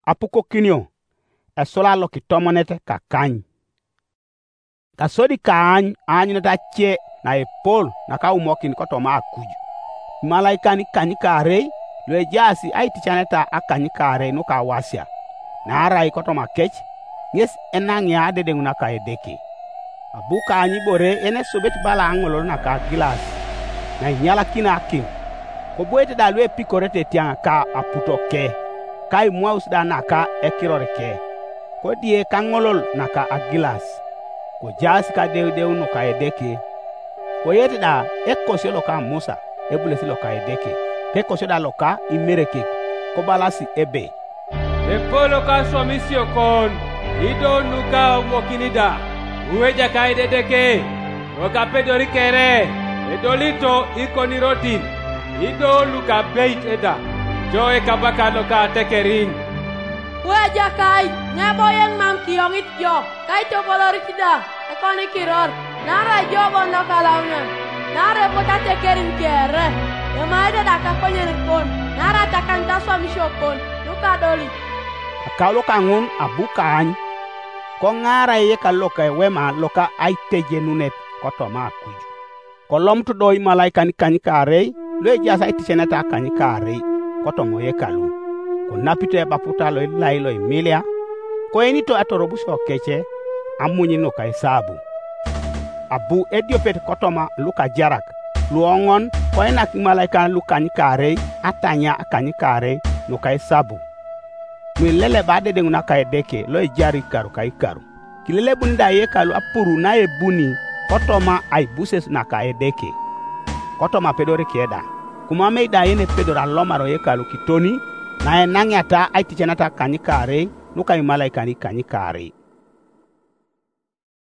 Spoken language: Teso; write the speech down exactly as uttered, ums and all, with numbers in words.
Apukokinio, esula lokitomonet kakany. Kasodi kaany aanyunet ace naepol nakaumokin kotoma akuj. Imalaikan ikanykaarei luejaas aiticaneta akanykaarei nukawasia, naarai kotoma kec ŋes enaŋia adedeŋ naka Edeke. Abu kaany ibore enesubit bala aŋolol naka agilas, nainyalakini akim. Koboete da luepikorete etiaŋ ka aputoke, ka imwaus da naka ekirorike, kodie kaŋolol naka agilas, kojaas kadeudeu nuka Edeke. Koyet da ekosio loka Musa, ebules loka Edeke, kekosio da loka imerekek, kobalasi ebe, "Epol loka aswamisio kon, ido nuka aumokini da, ueja kaidedeke, lokapedori kere, edolito ikonirotin, ido lukabeit eda, jo ekabaka loka atekerin." Kuejakai, ŋeboyen mam kiyoŋit jo, kaitopolorit da, ekoni kiror, naarai jo bon lokalaunan, naarai epot atekerin kere, emaete da kakonyen kon, naarai atakanit aswamisio kon, nukadolit. Akaulo kaŋun abu kaany, koŋaara eyekalu loka ewema loka aitejenunet kotoma akuj. Kolomut do imalaikan ikanykaarei luejaas aiticeneta akanykaarei kotoma oyekalu, konapito ebaputa loilai loimilia, koenito atorobusio kece amuny nuka esabu. Abu ediopet kotoma lukajarak luoŋon koinak imalaikan lukanykaarei atanya akanykaarei nuka esabu, nuileleba adedeŋ naka Edeke loejar ikaru ka ikaru. Kilelebuni da yekalu apuru naebuni kotoma aibuses naka Edeke, kotoma apedoreke da, kumamei da yenepedor alomar oyekalu kitoni naenaŋiata aiticenata kanykaarei nuka imalaikan ikanykaarei.